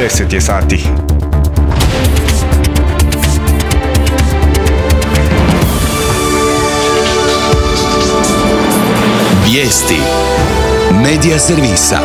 10 je sati. Vijesti Medija servisa.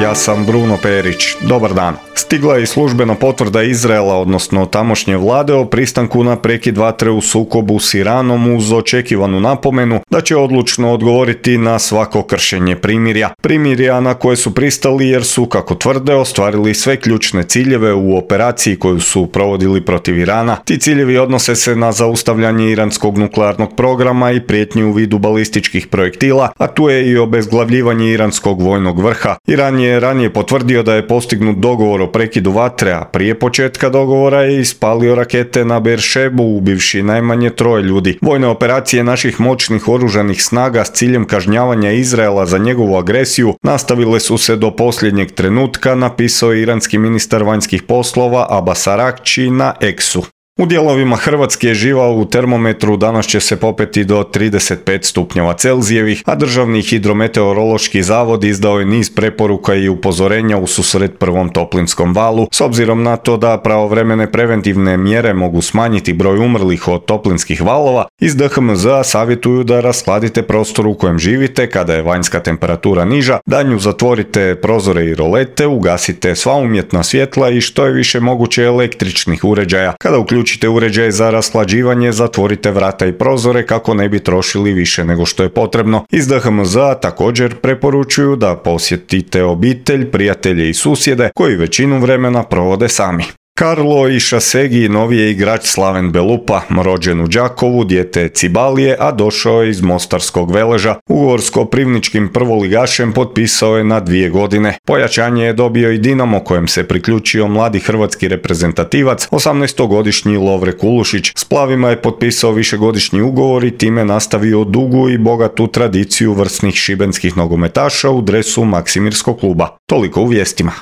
Ja sam Bruno Perić. Dobar dan. Stigla je i službena potvrda Izraela, odnosno tamošnje vlade, o pristanku na prekid vatre u sukobu s Iranom uz očekivanu napomenu da će odlučno odgovoriti na svako kršenje primirja. Primirja na koje su pristali jer su, kako tvrde, ostvarili sve ključne ciljeve u operaciji koju su provodili protiv Irana. Ti ciljevi odnose se na zaustavljanje iranskog nuklearnog programa i prijetnju u vidu balističkih projektila, a tu je i obezglavljivanje iranskog vojnog vrha. Iran je ranije potvrdio da je postignut dogovor o prekidu vatre, a prije početka dogovora je ispalio rakete na Beeršebu, ubivši najmanje 3 ljudi. Vojne operacije naših moćnih oružanih snaga s ciljem kažnjavanja Izraela za njegovu agresiju nastavile su se do posljednjeg trenutka, napisao je iranski ministar vanjskih poslova Abbas Araghči na X-u. U dijelovima Hrvatske živa u termometru danas će se popeti do 35 stupnjeva Celzijevih, a Državni hidrometeorološki zavod izdao je niz preporuka i upozorenja u susret prvom toplinskom valu, s obzirom na to da pravovremene preventivne mjere mogu smanjiti broj umrlih od toplinskih valova. Iz DHMZ-a savjetuju da rashladite prostor u kojem živite kada je vanjska temperatura niža, danju zatvorite prozore i rolete, ugasite sva umjetna svjetla i što je više moguće električnih uređaja. Kada uključite uređaj za rashlađivanje, zatvorite vrata i prozore kako ne bi trošili više nego što je potrebno. Iz DHMZ-a također preporučuju da posjetite obitelj, prijatelje i susjede koji većinu vremena provode sami. Karlo Išasegi novi je igrač Slaven Belupa, rođen u Đakovu, dijete je Cibalije, a došao je iz Mostarskog Veleža. Ugovor s koprivničkim prvoligašem potpisao je na 2 godine. Pojačanje je dobio i Dinamo, kojem se priključio mladi hrvatski reprezentativac, 18-godišnji Lovre Kulušić. S Plavima je potpisao višegodišnji ugovor i time nastavio dugu i bogatu tradiciju vrsnih šibenskih nogometaša u dresu Maksimirskog kluba. Toliko u vijestima.